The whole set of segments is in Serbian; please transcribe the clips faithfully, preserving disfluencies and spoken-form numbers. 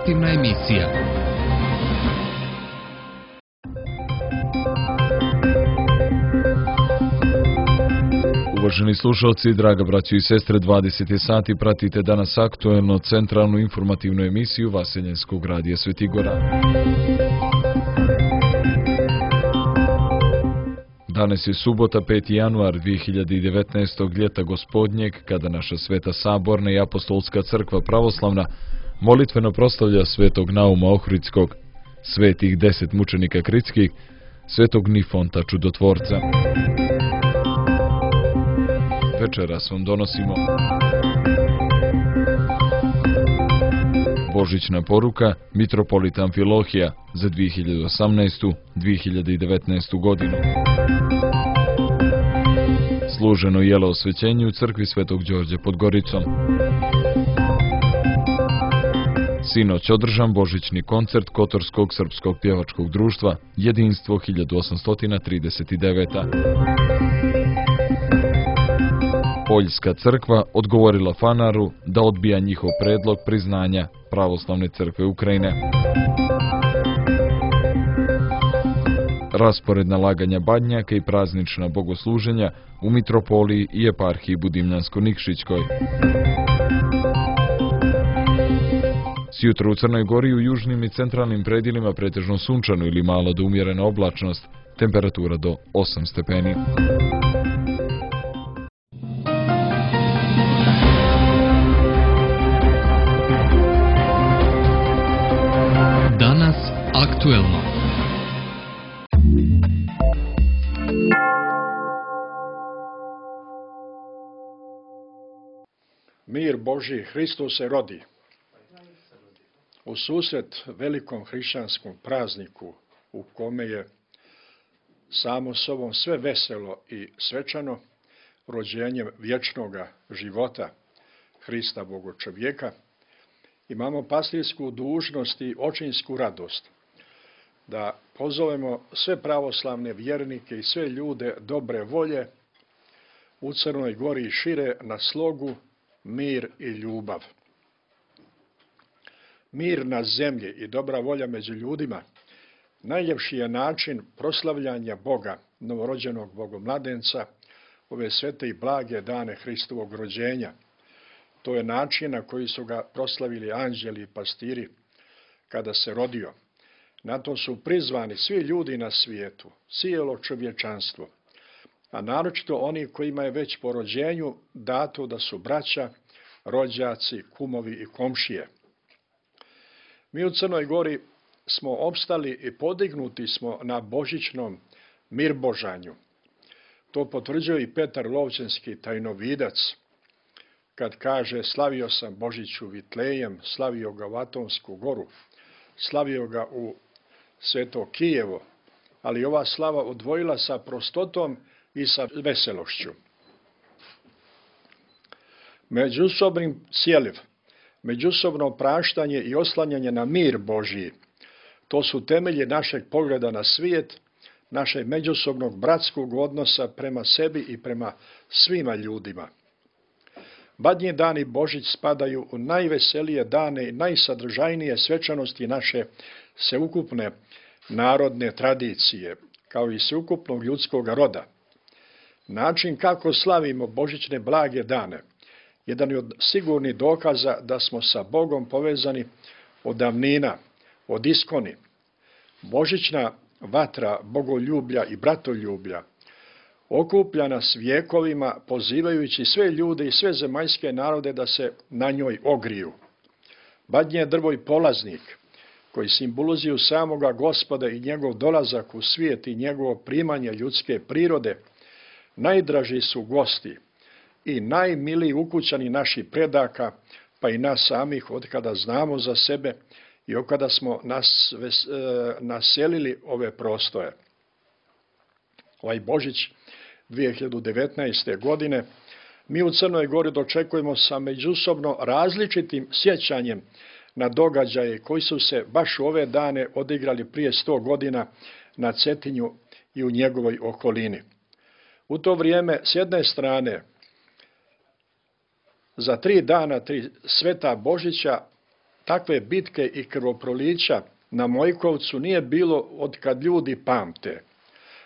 informativna emisija. Uvaženi slušalci, draga braćo i sestre, dvadeset je sati, pratite danas aktuelno centralnu informativnu emisiju Vaseljenskog radija Svetigora. Danas je subota, peti januar dvije hiljade devetnaestog. ljeta gospodnjeg, kada naša Sveta Saborna i Apostolska crkva pravoslavna molitveno proslavlja svetog Nauma Ohridskog, svetih deset mučenika kritskih, svetog Nifonta čudotvorca. Večeras vam donosimo božićna poruka mitropolita Amfilohija za dvije hiljade osamnaestu do dvije hiljade devetnaestu. godinu. Služeno jelo osvećenje u crkvi Svetog Đorđa pod Goricom. Sinoć održan božićni koncert Kotorskog srpskog pjevačkog društva Jedinstvo hiljadu osamsto trideset deveta. Poljska crkva odgovorila Fanaru da odbija njihov predlog priznanja Pravoslavne crkve Ukrajine. Raspored nalaganja badnjaka i praznična bogosluženja u mitropoliji i eparhiji Budimljansko-Nikšićkoj. Sjutra u Crnoj Gori i u južnim i centralnim predjelima pretežno sunčano ili malo do umjerena oblačnost, temperatura do osam stepeni. Danas aktuelno. Mir Božji, Hristos se rodi. U susret velikom hrišćanskom prazniku u kome je samo sobom sve veselo i svečano, rođenjem vječnoga života Hrista Boga čovjeka, imamo pastirsku dužnost i očinsku radost da pozovemo sve pravoslavne vjernike i sve ljude dobre volje u Crnoj Gori i šire na slogu, mir i ljubav. Mir na zemlji i dobra volja među ljudima najljepši je način proslavljanja Boga, novorođenog bogomladenca, ove svete i blage dane Hristovog rođenja. To je način na koji su ga proslavili anđeli i pastiri kada se rodio. Na to su prizvani svi ljudi na svijetu, cijelo čovječanstvo, a naročito oni kojima je već po rođenju dato da su braća, rođaci, kumovi i komšije. Mi u Crnoj Gori smo opstali i podignuti smo na božićnom mirbožanju. To potvrđuje i Petar Lovćenski tajnovidac, kad kaže slavio sam Božić u Vitlejem, slavio ga u Atonsku goru, slavio ga u Sveto Kijevo, ali ova slava odvojila sa prostotom i sa veselošću. Međusobni sjeliv, međusobno praštanje i oslanjanje na mir Božji, to su temelji našeg pogleda na svijet, našeg međusobnog bratskog odnosa prema sebi i prema svima ljudima. Badnji dani Božić spadaju u najveselije dane i najsadržajnije svečanosti naše sveukupne narodne tradicije, kao i sveukupnog ljudskog roda. Način kako slavimo božićne blage dane jedan je od sigurnih dokaza da smo sa Bogom povezani od davnina, od iskoni. Božićna vatra bogoljublja i bratoljublja okuplja nas vjekovima, pozivajući sve ljude i sve zemaljske narode da se na njoj ogriju. Badnje je drvo i polaznik, koji simbolizuju samoga Gospoda i njegov dolazak u svijet i njegovo primanje ljudske prirode, najdraži su gosti i najmiliji ukućani naših predaka, pa i nas samih, od kada znamo za sebe i od kada smo nas, ves, e, naselili ove prostore. Ovaj Božić dvije hiljade devetnaeste. godine mi u Crnoj Gori dočekujemo sa međusobno različitim sjećanjem na događaje koji su se baš u ove dane odigrali prije sto godina na Cetinju i u njegovoj okolini. U to vrijeme, s jedne strane, za tri dana, tri sveta Božića, takve bitke i krvoprolića na Mojkovcu nije bilo od kad ljudi pamte.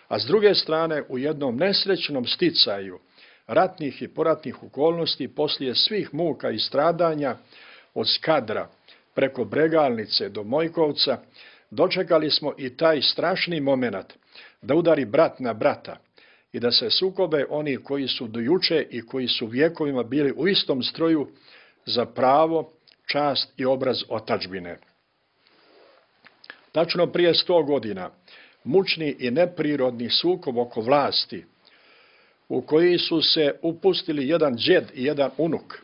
A s druge strane, u jednom nesrećnom sticaju ratnih i poratnih okolnosti, poslije svih muka i stradanja od Skadra preko Bregalnice do Mojkovca, dočekali smo i taj strašni moment da udari brat na brata i da se sukobe oni koji su do juče i koji su vjekovima bili u istom stroju za pravo, čast i obraz otadžbine. Tačno prije sto godina, mučni i neprirodni sukob oko vlasti, u koji su se upustili jedan džed i jedan unuk,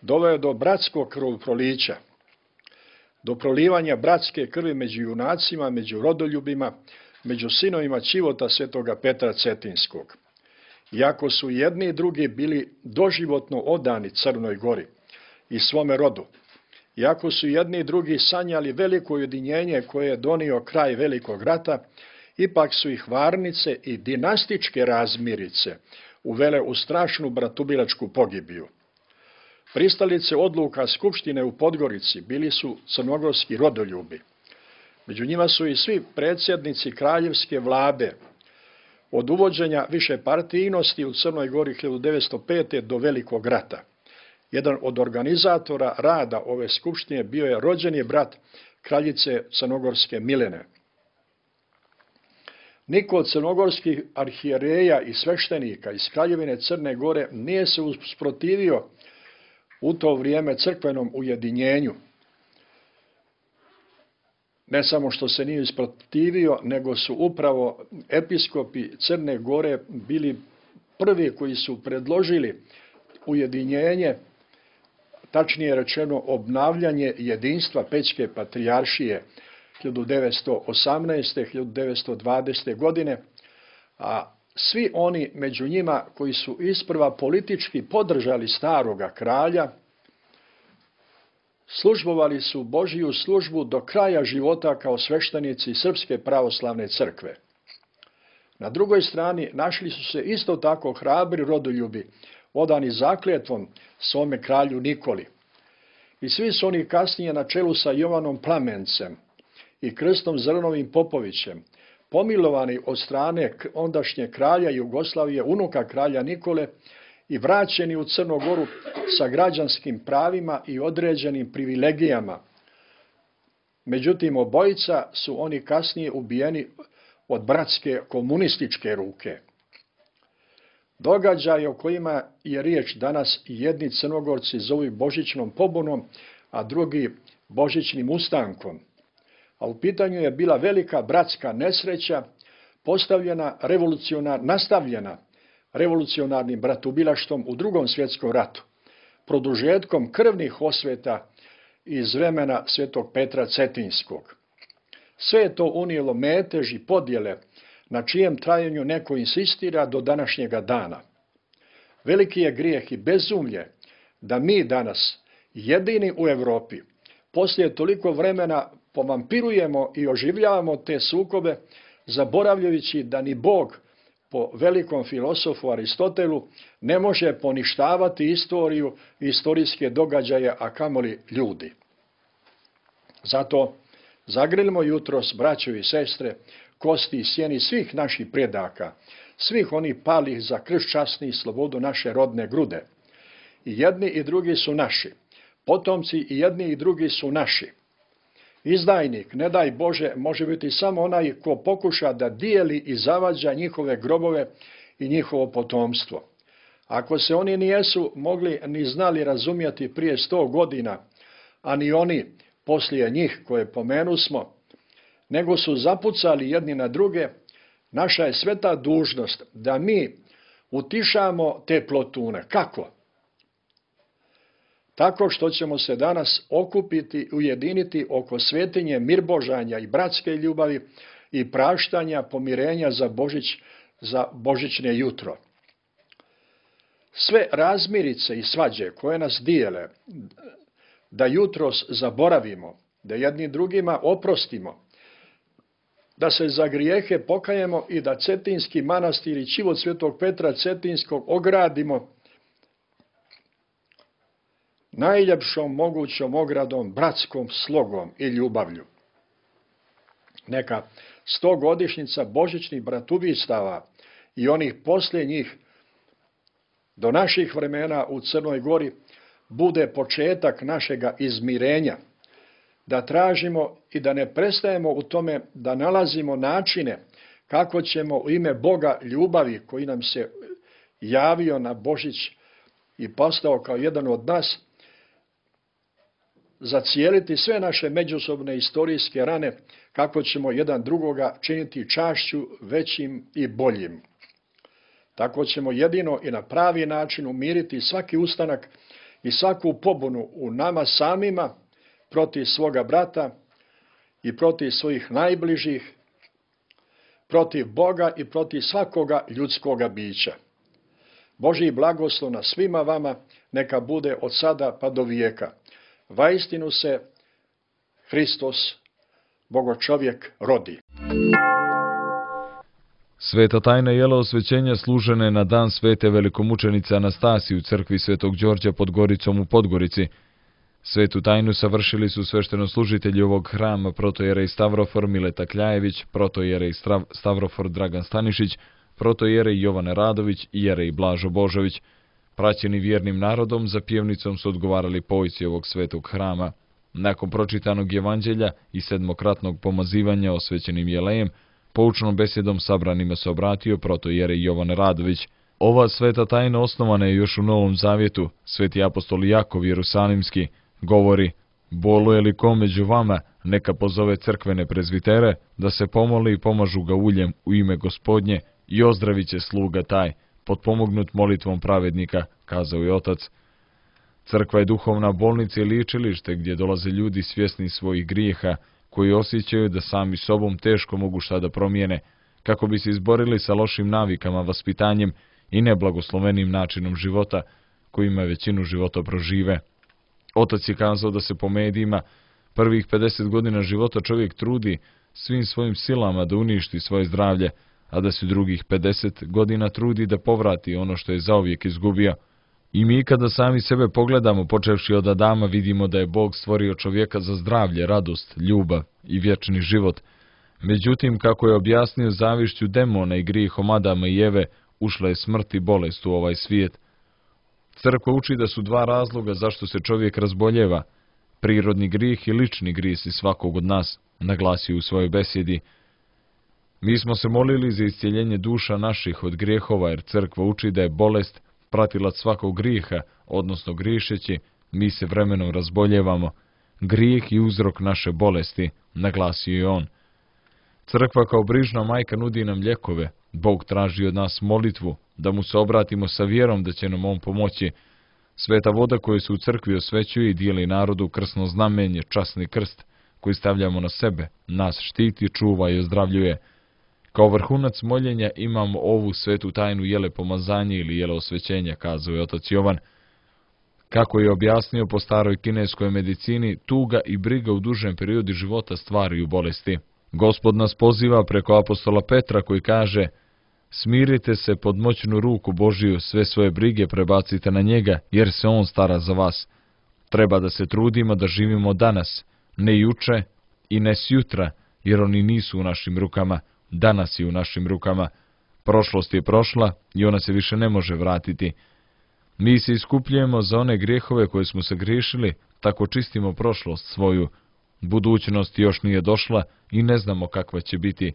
doveo do bratskog krvoprolića, do prolivanja bratske krvi među junacima, među rodoljubima, među sinovima Čivota svetoga Petra Cetinskog. Iako su jedni i drugi bili doživotno odani Crnoj Gori i svome rodu, iako su jedni i drugi sanjali veliko ujedinjenje koje je donio kraj Velikog rata, ipak su ih varnice i dinastičke razmirice uvele u strašnu bratubilačku pogibiju. Pristalice odluka Skupštine u Podgorici bili su crnogorski rodoljubi. Među njima su i svi predsjednici kraljevske vlade, od uvođenja višepartijnosti u Crnoj Gori hiljadu devetsto pete. do Velikog rata. Jedan od organizatora rada ove skupštine bio je rođeni brat kraljice crnogorske Milene. Niko od crnogorskih arhijereja i sveštenika iz Kraljevine Crne Gore nije se usprotivio u to vrijeme crkvenom ujedinjenju. Ne samo što se nije usprotivio, nego su upravo episkopi Crne Gore bili prvi koji su predložili ujedinjenje, tačnije rečeno obnavljanje jedinstva Pećke patrijaršije hiljadu devetsto osamnaeste. do hiljadu devetsto dvadesete. godine, a svi oni među njima koji su isprva politički podržali staroga kralja, službovali su Božiju službu do kraja života kao sveštenici Srpske pravoslavne crkve. Na drugoj strani našli su se isto tako hrabri rodoljubi, odani zakljetvom svome kralju Nikoli. I svi su oni kasnije na čelu sa Jovanom Plamencem i Krstom Zrnovim Popovićem, pomilovani od strane ondašnje kralja Jugoslavije, unuka kralja Nikole, i vraćeni u Crnu Goru sa građanskim pravima i određenim privilegijama. Međutim, obojica su oni kasnije ubijeni od bratske komunističke ruke. Događaje o kojima je riječ danas jedni Crnogorci zovu Božićnom pobunom, a drugi Božićnim ustankom. A u pitanju je bila velika bratska nesreća postavljena revolucionar, nastavljena revolucionarnim bratubilaštvom u Drugom svjetskom ratu, produžetkom krvnih osveta iz vremena svetog Petra Cetinskog. Sve je to unijelo metež i podjele na čijem trajanju neko insistira do današnjega dana. Veliki je grijeh i bezumlje da mi danas, jedini u Europi, poslije toliko vremena povampirujemo i oživljavamo te sukobe, zaboravljajući da ni Bog, po velikom filosofu Aristotelu, ne može poništavati istoriju i istorijske događaje, a kamoli ljudi. Zato zagrlimo jutros, braćo i sestre, kosti i sjeni svih naših predaka, svih onih palih za krst časni i slobodu naše rodne grude. I jedni i drugi su naši, potomci i jedni i drugi su naši. Izdajnik, ne daj Bože, može biti samo onaj ko pokuša da dijeli i zavađa njihove grobove i njihovo potomstvo. Ako se oni nijesu mogli ni znali razumjeti prije sto godina, a ni oni poslije njih koje pomenusmo, nego su zapucali jedni na druge, naša je sveta dužnost da mi utišamo te plotune. Kako? Tako što ćemo se danas okupiti, ujediniti oko svetinje mirbožanja i bratske ljubavi i praštanja, pomirenja za Božić, za božićne jutro. Sve razmirice i svađe koje nas dijele, da jutros zaboravimo, da jedni drugima oprostimo, da se za grijehe pokajemo i da Cetinski manastir i čivot svetog Petra Cetinskog ogradimo najljepšom mogućom ogradom, bratskom slogom i ljubavlju. Neka stogodišnjica božićnih bratubistava i onih posljednjih do naših vremena u Crnoj Gori bude početak našega izmirenja, da tražimo i da ne prestajemo u tome da nalazimo načine kako ćemo u ime Boga ljubavi koji nam se javio na Božić i postao kao jedan od nas, zacijeliti sve naše međusobne istorijske rane, kako ćemo jedan drugoga činiti čašću većim i boljim. Tako ćemo jedino i na pravi način umiriti svaki ustanak i svaku pobunu u nama samima protiv svoga brata i protiv svojih najbližih, protiv Boga i protiv svakoga ljudskoga bića. Božji blagoslov na svima vama neka bude od sada pa do vijeka. Vaistinu se Hristos, Bogočovjek, rodi. Sveta tajna jela osvećenja služene na dan svete velikomučenice Anastasije u crkvi Svetog Đorđa pod Goricom u Podgorici. Svetu tajnu savršili su sveštenoslужitelji ovog hrama protojerej Stavrofor Mileta Kljajević, protojerej Stavrofor Dragan Stanišić, protojerej Jovan Radović i jerej Blažo Božović. Praćeni vjernim narodom, za pjevnicom su odgovarali pojci ovog svetog hrama. Nakon pročitanog evanđelja i sedmokratnog pomazivanja osvećenim jelejem, poučnom besjedom sabranima se obratio protojerej Jovan Radović. Ova sveta tajna osnovana je još u Novom Zavjetu. Sveti apostol Jakov Jerusalimski govori: boluje li ko među vama, neka pozove crkvene prezvitere, da se pomoli i pomažu ga uljem u ime Gospodnje i ozdravit će sluga taj, potpomognut molitvom pravednika, kazao je otac. Crkva je duhovna bolnica i liječilište gdje dolaze ljudi svjesni svojih grijeha, koji osjećaju da sami sobom teško mogu šta da promijene, kako bi se izborili sa lošim navikama, vaspitanjem i neblagoslovenim načinom života, kojima većinu života prožive. Otac je kazao da se po medijima prvih pedeset godina života čovjek trudi svim svojim silama da uništi svoje zdravlje, a da se drugih pedeset godina trudi da povrati ono što je zauvijek izgubio. I mi kada sami sebe pogledamo, počevši od Adama, vidimo da je Bog stvorio čovjeka za zdravlje, radost, ljubav i vječni život. Međutim, kako je objasnio zavišću demona i grijehom Adama i Eve, ušla je smrt i bolest u ovaj svijet. Crkva uči da su dva razloga zašto se čovjek razboljeva: prirodni grijeh i lični grijesi svakog od nas, naglasio u svojoj besjedi. Mi smo se molili za iscjeljenje duša naših od grijehova, jer crkva uči da je bolest pratilac svakog grijeha, odnosno griješeći, mi se vremenom razboljevamo. Grijeh i uzrok naše bolesti, naglasio je on. Crkva kao brižna majka nudi nam lijekove. Bog traži od nas molitvu, da mu se obratimo sa vjerom da će nam on pomoći. Sveta voda koju se u crkvi osvećuje i dijeli narodu krsno znamenje, časni krst, koji stavljamo na sebe, nas štiti, čuva i ozdravljuje. Kao vrhunac moljenja imamo ovu svetu tajnu jele pomazanje ili jele osvećenja, kazao je otac Jovan. Kako je objasnio po staroj kineskoj medicini, tuga i briga u dužem periodu života stvaraju bolesti. Gospod nas poziva preko apostola Petra koji kaže: smirite se pod moćnu ruku Božiju, sve svoje brige prebacite na njega, jer se on stara za vas. Treba da se trudimo da živimo danas, ne juče i ne sjutra, jer oni nisu u našim rukama. Danas je u našim rukama. Prošlost je prošla i ona se više ne može vratiti. Mi se iskupljujemo za one grijehove koje smo se griješili, tako čistimo prošlost svoju. Budućnost još nije došla i ne znamo kakva će biti.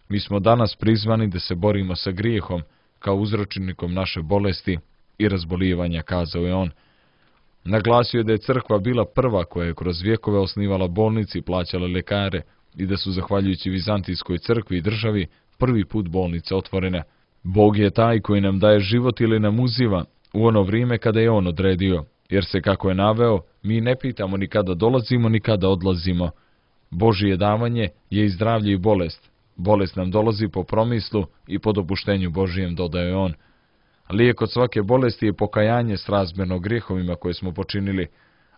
Mi smo danas prizvani da se borimo sa grijehom, kao uzročnikom naše bolesti i razbolijevanja, kazao je on. Naglasio je da je crkva bila prva koja je kroz vjekove osnivala bolnice i plaćala lekare, i da su, zahvaljujući Vizantijskoj crkvi i državi, prvi put bolnice otvorene. Bog je taj koji nam daje život ili nam uziva u ono vrijeme kada je on odredio, jer se, kako je naveo, mi ne pitamo ni kada dolazimo ni kada odlazimo. Božije davanje je i zdravlje i bolest. Bolest nam dolazi po promislu i po dopuštenju Božijem, dodaje on. Lijek od svake bolesti je pokajanje srazmjerno grijehovima koje smo počinili,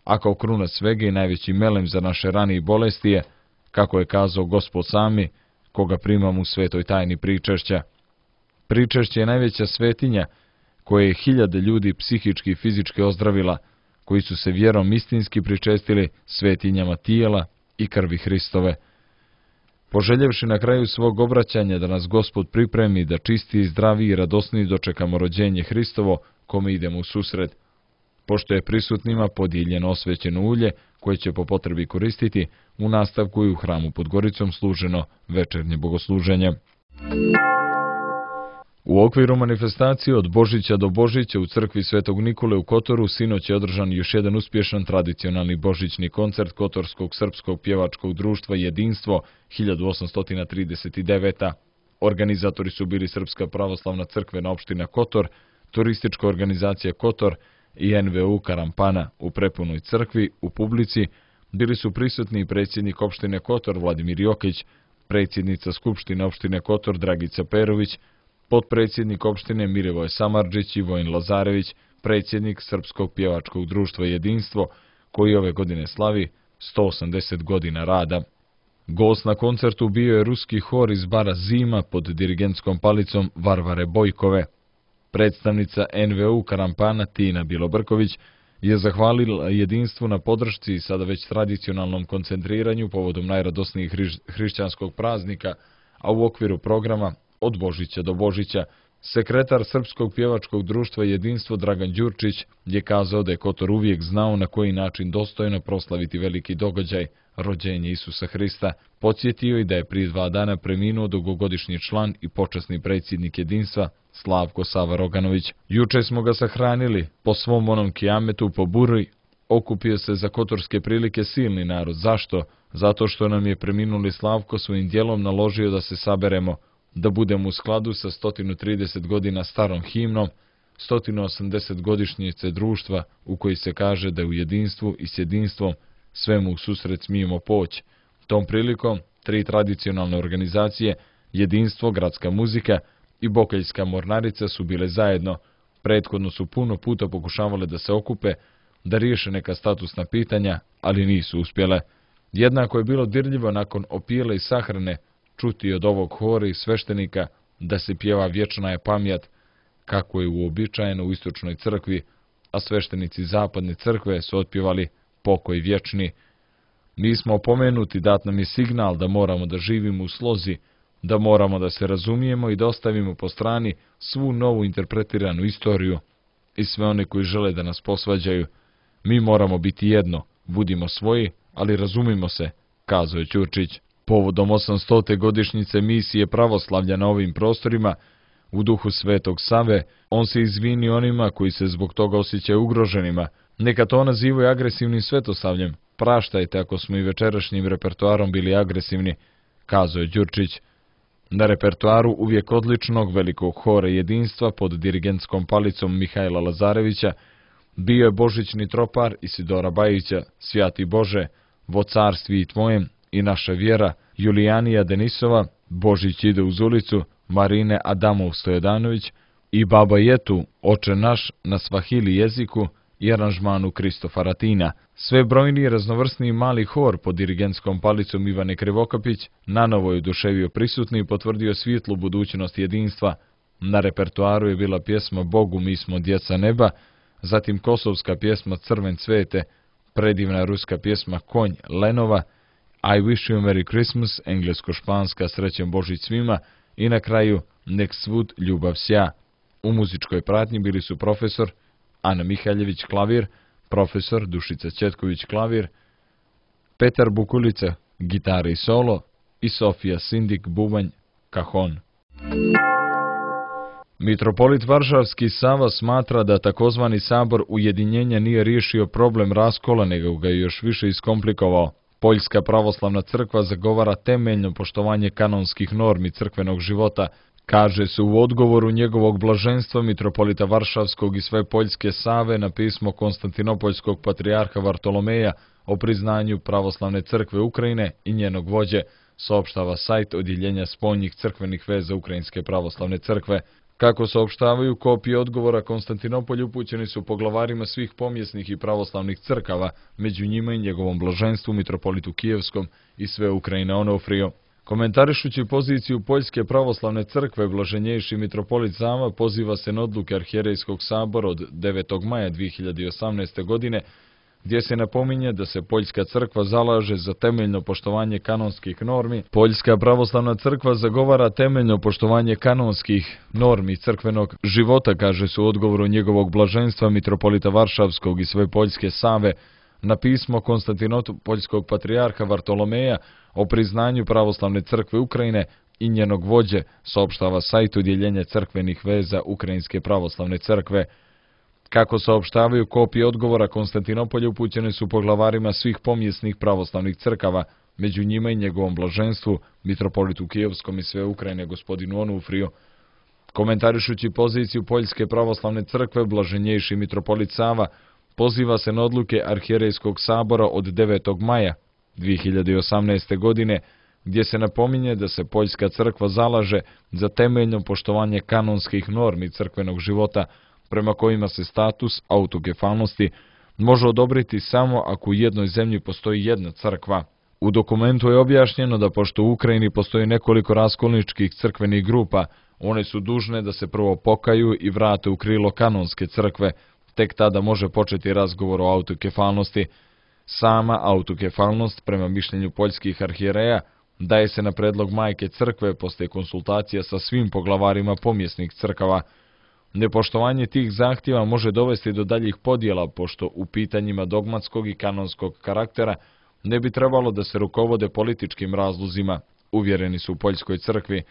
a kao kruna svega i najveći melem za naše rane i bolesti je, kako je kazao Gospod sami, koga primam u svetoj tajni pričešća. Pričešće je najveća svetinja, koje je hiljade ljudi psihički i fizički ozdravila. koji su se vjerom istinski pričestili svetinjama tijela i krvi Hristove. Poželjevši na kraju svog obraćanja da nas Gospod pripremi da čisti, zdravi i radosni dočekamo rođenje Hristovo, kome idemo u susret. Pošto je prisutnima podijeljeno osvećeno ulje, koje će po potrebi koristiti, u nastavku i u hramu pod Goricom služeno večernje bogosluženje. U okviru manifestacije od Božića do Božića u crkvi Svetog Nikole u Kotoru sinoć je održan još jedan uspješan tradicionalni božićni koncert Kotorskog srpskog pjevačkog društva Jedinstvo hiljadu osamsto trideset devete. Organizatori su bili Srpska pravoslavna crkvena opština Kotor, turistička organizacija Kotor i en ve u Karampana. U prepunoj crkvi, u publici, bili su prisutni i predsjednik opštine Kotor Vladimir Jokić, predsjednica Skupštine opštine Kotor Dragica Perović, potpredsjednik opštine Milivoje Samardžić i Vojin Lazarević, predsjednik Srpskog pjevačkog društva Jedinstvo, koji ove godine slavi sto osamdeset godina rada. Gost na koncertu bio je ruski hor iz bara Zima pod dirigentskom palicom Varvare Bojkove. Predstavnica en ve u Karampana Tina Bilobrković je zahvalila Jedinstvu na podršci i sada već tradicionalnom koncentriranju povodom najradosnijih hriš hrišćanskog praznika, a u okviru programa Od Božića do Božića, sekretar Srpskog pjevačkog društva Jedinstvo Dragan Đurčić je kazao da je Kotor uvijek znao na koji način dostojno proslaviti veliki događaj, rođenje Isusa Hrista. Podsjetio i da je prije dva dana preminuo dugogodišnji član i počasni predsjednik Jedinstva Slavko Sava Roganović. Juče smo ga sahranili, po svom onom kijametu po Buri, okupio se za kotorske prilike silni narod. Zašto? Zato što nam je preminuli Slavko svojim djelom naložio da se saberemo, da budemo u skladu sa sto trideset godina starom himnom, sto osamdeset godišnjice društva u koji se kaže da u jedinstvu i s jedinstvom svemu u susret smijemo poći. Tom prilikom tri tradicionalne organizacije, Jedinstvo, Gradska muzika i Bokeljska mornarica su bile zajedno. Prethodno su puno puta pokušavale da se okupe, da riješe neka statusna pitanja, ali nisu uspjele. Jednako je bilo dirljivo nakon opijele i sahrane čuti od ovog hora i sveštenika da se pjeva Vječna je pamjat, kako je uobičajeno u istočnoj crkvi, a sveštenici zapadne crkve su otpjevali Pokoj vječni. Mi smo opomenuti, dat nam je signal da moramo da živimo u slozi, da moramo da se razumijemo i da ostavimo po strani svu novu interpretiranu istoriju i sve one koji žele da nas posvađaju. Mi moramo biti jedno, budimo svoji, ali razumimo se, kazao je Ćurčić. Povodom osamstote godišnjice misije pravoslavlja na ovim prostorima, u duhu Svetog Save, on se izvini onima koji se zbog toga osjećaju ugroženima. Neka to nazivaju agresivnim svetosavljem. Praštajte ako smo i večerašnjim repertoarom bili agresivni, kazao je Đurčić. Na repertoaru uvijek odličnog velikog hora Jedinstva pod dirigentskom palicom Mihajla Lazarevića bio je božićni tropar Isidora Bajića, Svjati Bože, vo carstvi i tvojem i naša vjera, Julijanija Denisova, Božić ide uz ulicu, Marine Adamov Stojadanović i Baba Jetu, Oče naš na svahili jeziku i aranžmanu Kristofa Ratina. Sve brojni i raznovrsni mali hor pod dirigentskom palicom Ivane Krivokapić nanovo je oduševio prisutni i potvrdio svjetlu budućnost jedinstva. Na repertoaru je bila pjesma Bogu mi smo djeca neba, zatim kosovska pjesma Crven cvete, predivna ruska pjesma Konj Lenova, I wish you a Merry Christmas, englesko-španska Srećen Božić svima i na kraju Nek svud ljubav sja. U muzičkoj pratnji bili su profesor Ana Mihaljević klavir, profesor Dušica Četković klavir, Petar Bukulica gitara i solo i Sofija Sindik bubanj kahon. Mitropolit Varšavski Sava smatra da takozvani sabor ujedinjenja nije riješio problem raskola, nego ga je još više iskomplikovao. Poljska pravoslavna crkva zagovara temeljno poštovanje kanonskih normi crkvenog života, kaže se u odgovoru njegovog blaženstva mitropolita Varšavskog i sve Poljske Save na pismo Konstantinopoljskog patrijarha Vartolomeja o priznanju pravoslavne crkve Ukrajine i njenog vođe, saopštava sajt Odjeljenja spoljnih crkvenih veza Ukrajinske pravoslavne crkve. Kako saopštavaju, kopije odgovora Konstantinopolju upućeni su poglavarima svih pomjesnih i pravoslavnih crkava, među njima i njegovom blaženstvu mitropolitu Kijevskom i sve Ukrajine Onofrio. Komentarišući poziciju Poljske pravoslavne crkve, blaženjejši mitropolit Sava poziva se na odluke Arhijerejskog sabora od devetog maja dvije hiljade osamnaeste. godine, gdje se napominje da se Poljska crkva zalaže za temeljno poštovanje kanonskih normi. Poljska pravoslavna crkva zagovara temeljno poštovanje kanonskih normi crkvenog života, kaže se u odgovoru njegovog blaženstva mitropolita Varšavskog i sve Poljske Save na pismo konstantinopoljskog patrijarha Vartolomeja o priznanju pravoslavne crkve Ukrajine i njenog vođe, saopštava sajt udjeljenja crkvenih veza Ukrajinske pravoslavne crkve. Kako saopštavaju, kopije odgovora Konstantinopolja upućene su poglavarima svih pomjesnih pravoslavnih crkava, među njima i njegovom blaženstvu, mitropolitu Kijevskom i sve Ukrajine, gospodinu Onufriju. Komentarišući poziciju Poljske pravoslavne crkve, blaženjejši mitropolit Sava poziva se na odluke Arhijerejskog sabora od devetog maja dvije hiljade osamnaeste. godine, gdje se napominje da se Poljska crkva zalaže za temeljno poštovanje kanonskih normi crkvenog života, prema kojima se status autokefalnosti može odobriti samo ako u jednoj zemlji postoji jedna crkva. U dokumentu je objašnjeno da pošto u Ukrajini postoji nekoliko raskolničkih crkvenih grupa, one su dužne da se prvo pokaju i vrate u krilo kanonske crkve, tek tada može početi razgovor o autokefalnosti. Sama autokefalnost, prema mišljenju poljskih arhijereja, daje se na predlog majke crkve poslije konsultacija sa svim poglavarima pomjesnih crkava. Nepoštovanje tih zahtjeva može dovesti do daljih podjela, pošto u pitanjima dogmatskog i kanonskog karaktera ne bi trebalo da se rukovode političkim razlozima, uvjereni su u Poljskoj crkvi.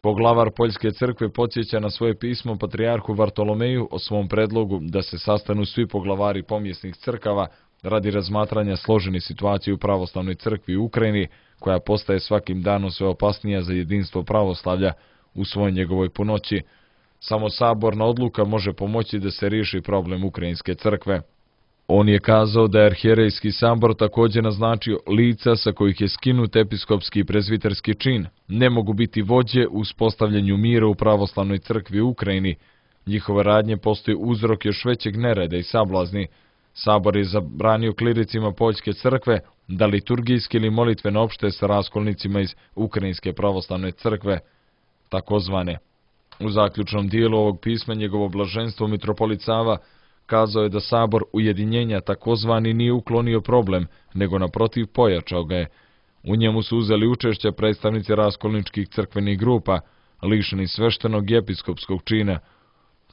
Poglavar Poljske crkve podsjeća na svoje pismo patrijarhu Vartolomeju o svom predlogu da se sastanu svi poglavari pomjesnih crkava radi razmatranja složene situacije u pravoslavnoj crkvi u Ukrajini, koja postaje svakim danom sve opasnija za jedinstvo pravoslavlja u svoj njegovoj punoći. Samo saborna odluka može pomoći da se riješi problem Ukrajinske crkve. On je kazao da je Arhijerejski sabor također naznačio lica sa kojih je skinut episkopski i prezviterski čin ne mogu biti vođe u uspostavljanju mira u pravoslavnoj crkvi u Ukrajini. Njihove radnje postoji uzrok još većeg nereda i sablazni. Sabor je zabranio kliricima Poljske crkve da liturgijski ili molitveno opšte sa raskolnicima iz Ukrajinske pravoslavne crkve, takozvane. U zaključnom dijelu ovog pisma njegovo blaženstvo mitropolit Sava kazao je da sabor ujedinjenja takozvani nije uklonio problem, nego naprotiv pojačao ga je. U njemu su uzeli učešće predstavnici raskolničkih crkvenih grupa, lišeni sveštenog i episkopskog čina.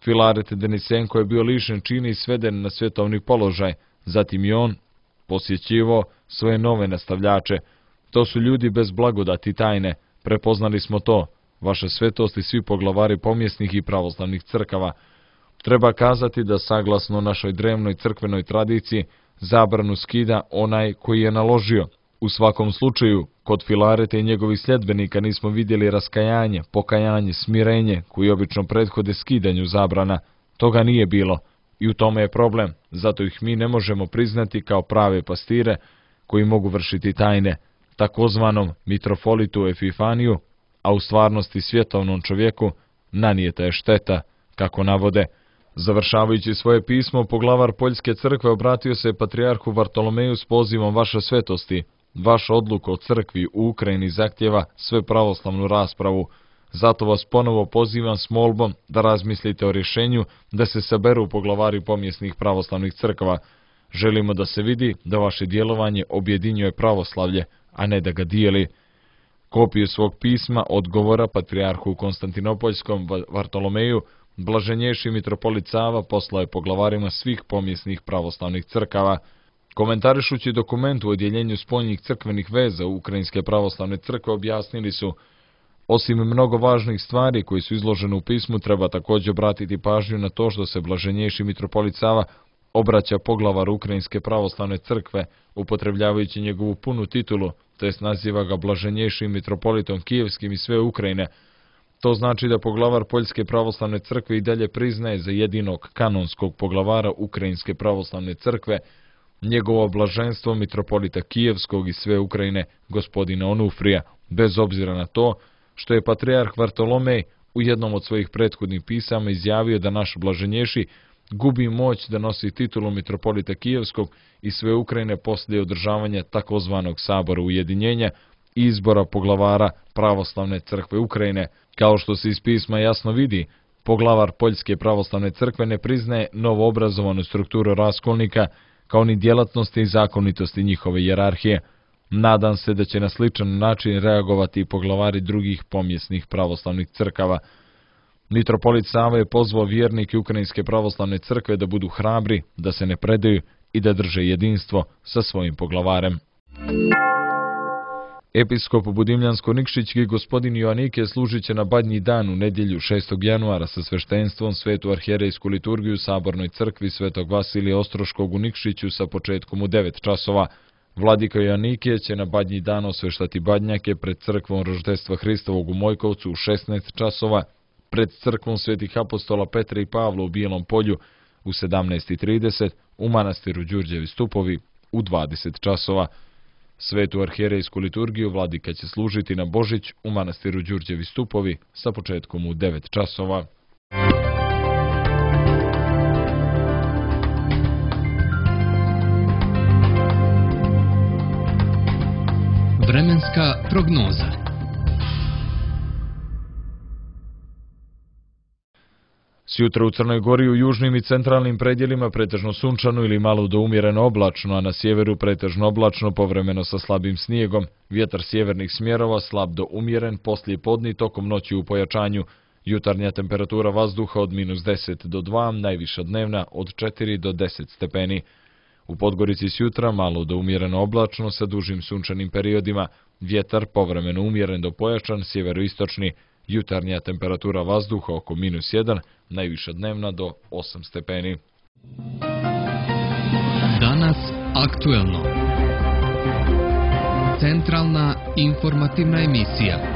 Filaret Denisenko je bio lišen čina i sveden na svjetovni položaj, zatim i on posjećivao svoje nove nastavljače. To su ljudi bez blagodati tajne, prepoznali smo to, vaša svetost i svi poglavari pomjesnih i pravoslavnih crkava. Treba kazati da saglasno našoj drevnoj crkvenoj tradiciji zabranu skida onaj koji je naložio. U svakom slučaju, kod Filareta i njegovih sljedbenika nismo vidjeli raskajanje, pokajanje, smirenje koji obično prethode skidanju zabrana. Toga nije bilo i u tome je problem, zato ih mi ne možemo priznati kao prave pastire koji mogu vršiti tajne, takozvanom mitropolitu Epifaniju, a u stvarnosti svjetovnom čovjeku nanijeta je šteta, kako navode. Završavajući svoje pismo, poglavar Poljske crkve obratio se patrijarhu Vartolomeju s pozivom vaše svetosti. Vaša odluka o crkvi u Ukrajini zahtjeva sve pravoslavnu raspravu. Zato vas ponovo pozivam s molbom da razmislite o rješenju da se saberu poglavari pomjesnih pravoslavnih crkava. Želimo da se vidi da vaše djelovanje objedinjuje pravoslavlje, a ne da ga dijeli. Kopiju svog pisma odgovora patrijarhu Konstantinopoljskom Vartolomeju blaženjejši mitropolit Sava poslao je poglavarima svih pomjesnih pravoslavnih crkava. Komentarišući dokument u odjeljenju spoljnih crkvenih veza Ukrajinske pravoslavne crkve objasnili su: osim mnogo važnih stvari koji su izložene u pismu, treba također obratiti pažnju na to što se blaženjejši mitropolit Sava obraća poglavaru Ukrajinske pravoslavne crkve, upotrebljavajući njegovu punu titulu, to jest naziva ga blaženjejšim mitropolitom Kijevskim i sve Ukrajine. To znači da poglavar Poljske pravoslavne crkve i dalje priznaje za jedinog kanonskog poglavara Ukrajinske pravoslavne crkve njegovo blaženstvo mitropolita Kijevskog i sve Ukrajine, gospodina Onufrija, bez obzira na to što je patrijarh Vartolomej u jednom od svojih prethodnih pisama izjavio da naš blaženjejši gubi moć da nosi titulu mitropolita Kijevskog i sve Ukrajine poslije održavanja takozvanog sabora ujedinjenja, i izbora poglavara Pravoslavne crkve Ukrajine. Kao što se iz pisma jasno vidi, poglavar Poljske pravoslavne crkve ne priznaje novoobrazovanu strukturu raskolnika, kao ni djelatnosti i zakonitosti njihove hijerarhije. Nadam se da će na sličan način reagovati i poglavari drugih pomjesnih pravoslavnih crkava. Mitropolit Sava je pozvao vjernike Ukrajinske pravoslavne crkve da budu hrabri, da se ne predaju i da drže jedinstvo sa svojim poglavarem. Episkop Budimljansko-Nikšićki gospodin Joanike služit će na Badnji dan u nedjelju šestog januara sa sveštenstvom svetu arhijerejsku liturgiju Sabornoj crkvi Svetog Vasilija Ostroškog u Nikšiću sa početkom u devet časova. Vladika Joanike će na Badnji dan osveštati badnjake pred crkvom Roždestva Hristovog u Mojkovcu u šesnaest časova, pred crkvom svetih apostola Petra i Pavla u Bijelom polju u sedamnaest i trideset, u manastiru Đurđevi stupovi u dvadeset časova. Svetu arhijerejsku liturgiju vladika će služiti na Božić u manastiru Đurđevi stupovi sa početkom u devet časova. Vremenska prognoza. Sjutra u Crnoj Gori u južnim i centralnim predjelima pretežno sunčano ili malo do umjereno oblačno, a na sjeveru pretežno oblačno povremeno sa slabim snijegom. Vjetar sjevernih smjerova slab do umjeren, poslije podni tokom noći u pojačanju. Jutarnja temperatura vazduha od minus deset do dva, najviša dnevna od četiri do deset stepeni. U Podgorici sjutra malo do umjereno oblačno sa dužim sunčanim periodima. Vjetar povremeno umjeren do pojačan, sjeveroistočni. Jutarnja temperatura vazduha oko minus jedan, najviša dnevna do osam stepeni. Danas aktuelno. Centralna informativna emisija.